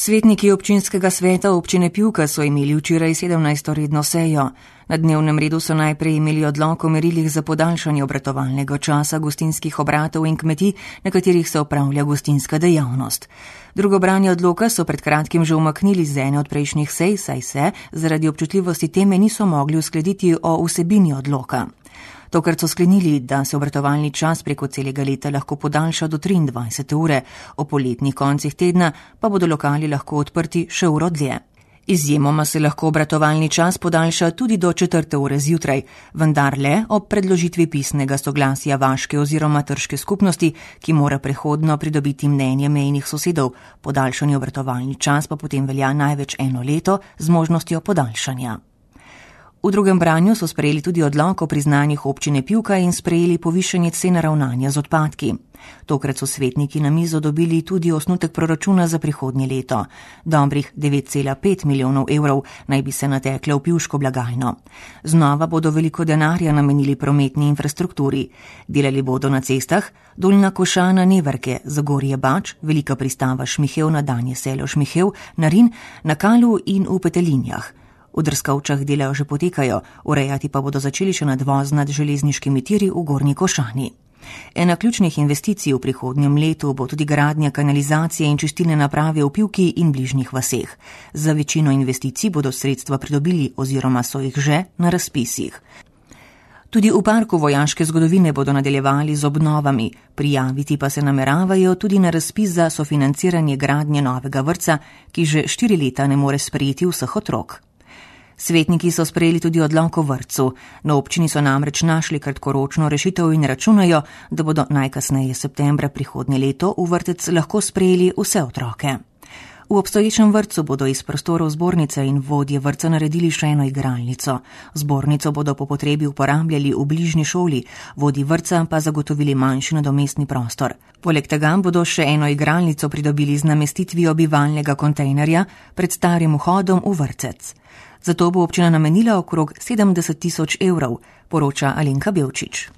Svetniki občinskega sveta občine Pivka so imeli včeraj 17. redno sejo. Na dnevnem redu so najprej imeli odlok o merilih za podaljšanje obratovalnega časa gostinskih obratov in kmetij, na katerih se opravlja gostinska dejavnost. Drugo branje odloka so pred kratkim že umaknili z ene od prejšnjih sej, saj se zaradi občutljivosti teme niso mogli uskladiti o vsebini odloka. Tokrat so sklenili, da se obratovalni čas preko celega leta lahko podaljša do 23. ure, o poletnih koncih tedna pa bodo lokali lahko odprti še uro dlje. Izjemoma se lahko obratovalni čas podaljša tudi do 4. ure zjutraj, vendar le ob predložitvi pisnega soglasja vaške oziroma trške skupnosti, ki mora prehodno pridobiti mnenje mejnih sosedov. Podaljšani obratovalni čas pa potem velja največ 1 leto z možnostjo podaljšanja. V drugem branju so sprejeli tudi odlok o priznanjih občine Pivka in sprejeli povišanje cen ravnanja z odpadki. Tokrat so svetniki na mizo dobili tudi osnutek proračuna za prihodnje leto. Dobrih 9,5 milijonov evrov naj bi se natekle v pivško blagajno. Znova bodo veliko denarja namenili prometni infrastrukturi. Delali bodo na cestah Dolnja Košana Neverke, Zagorje Bač, Velika pristava Šmihev na Danje selo Šmihev, na Rin, na Kalu in v Petelinjah. V Drskovčah dela že potekajo, urejati pa bodo začeli še nadvoz nad železniškimi tiri v Gornji Košani. Ena ključnih investicij v prihodnjem letu bo tudi gradnja kanalizacije in čistilne naprave v Pivki in bližnjih vaseh. Za večino investicij bodo sredstva pridobili oziroma so jih že na razpisih. Tudi v parku vojaške zgodovine bodo nadaljevali z obnovami, prijaviti pa se nameravajo tudi na razpis za sofinanciranje gradnje novega vrtca, ki že 4 leta ne more sprejeti vseh otrok. Svetniki so sprejeli tudi odlok o vrtcu. Na občini so namreč našli kratkoročno rešitev in računajo, da bodo najkasneje septembra prihodnje leto v vrtec lahko sprejeli vse otroke. V obstoječem vrtcu bodo iz prostorov zbornice in vodje vrtca naredili še eno igralnico. Zbornico bodo po potrebi uporabljali v bližnji šoli, vodji vrtca pa zagotovili manjši nadomestni prostor. Poleg tega bodo še eno igralnico pridobili z namestitvijo bivalnega kontejnerja pred starim vhodom v vrtec. Zato bo občina namenila okrog 70 tisoč evrov, poroča Alenka Belčič.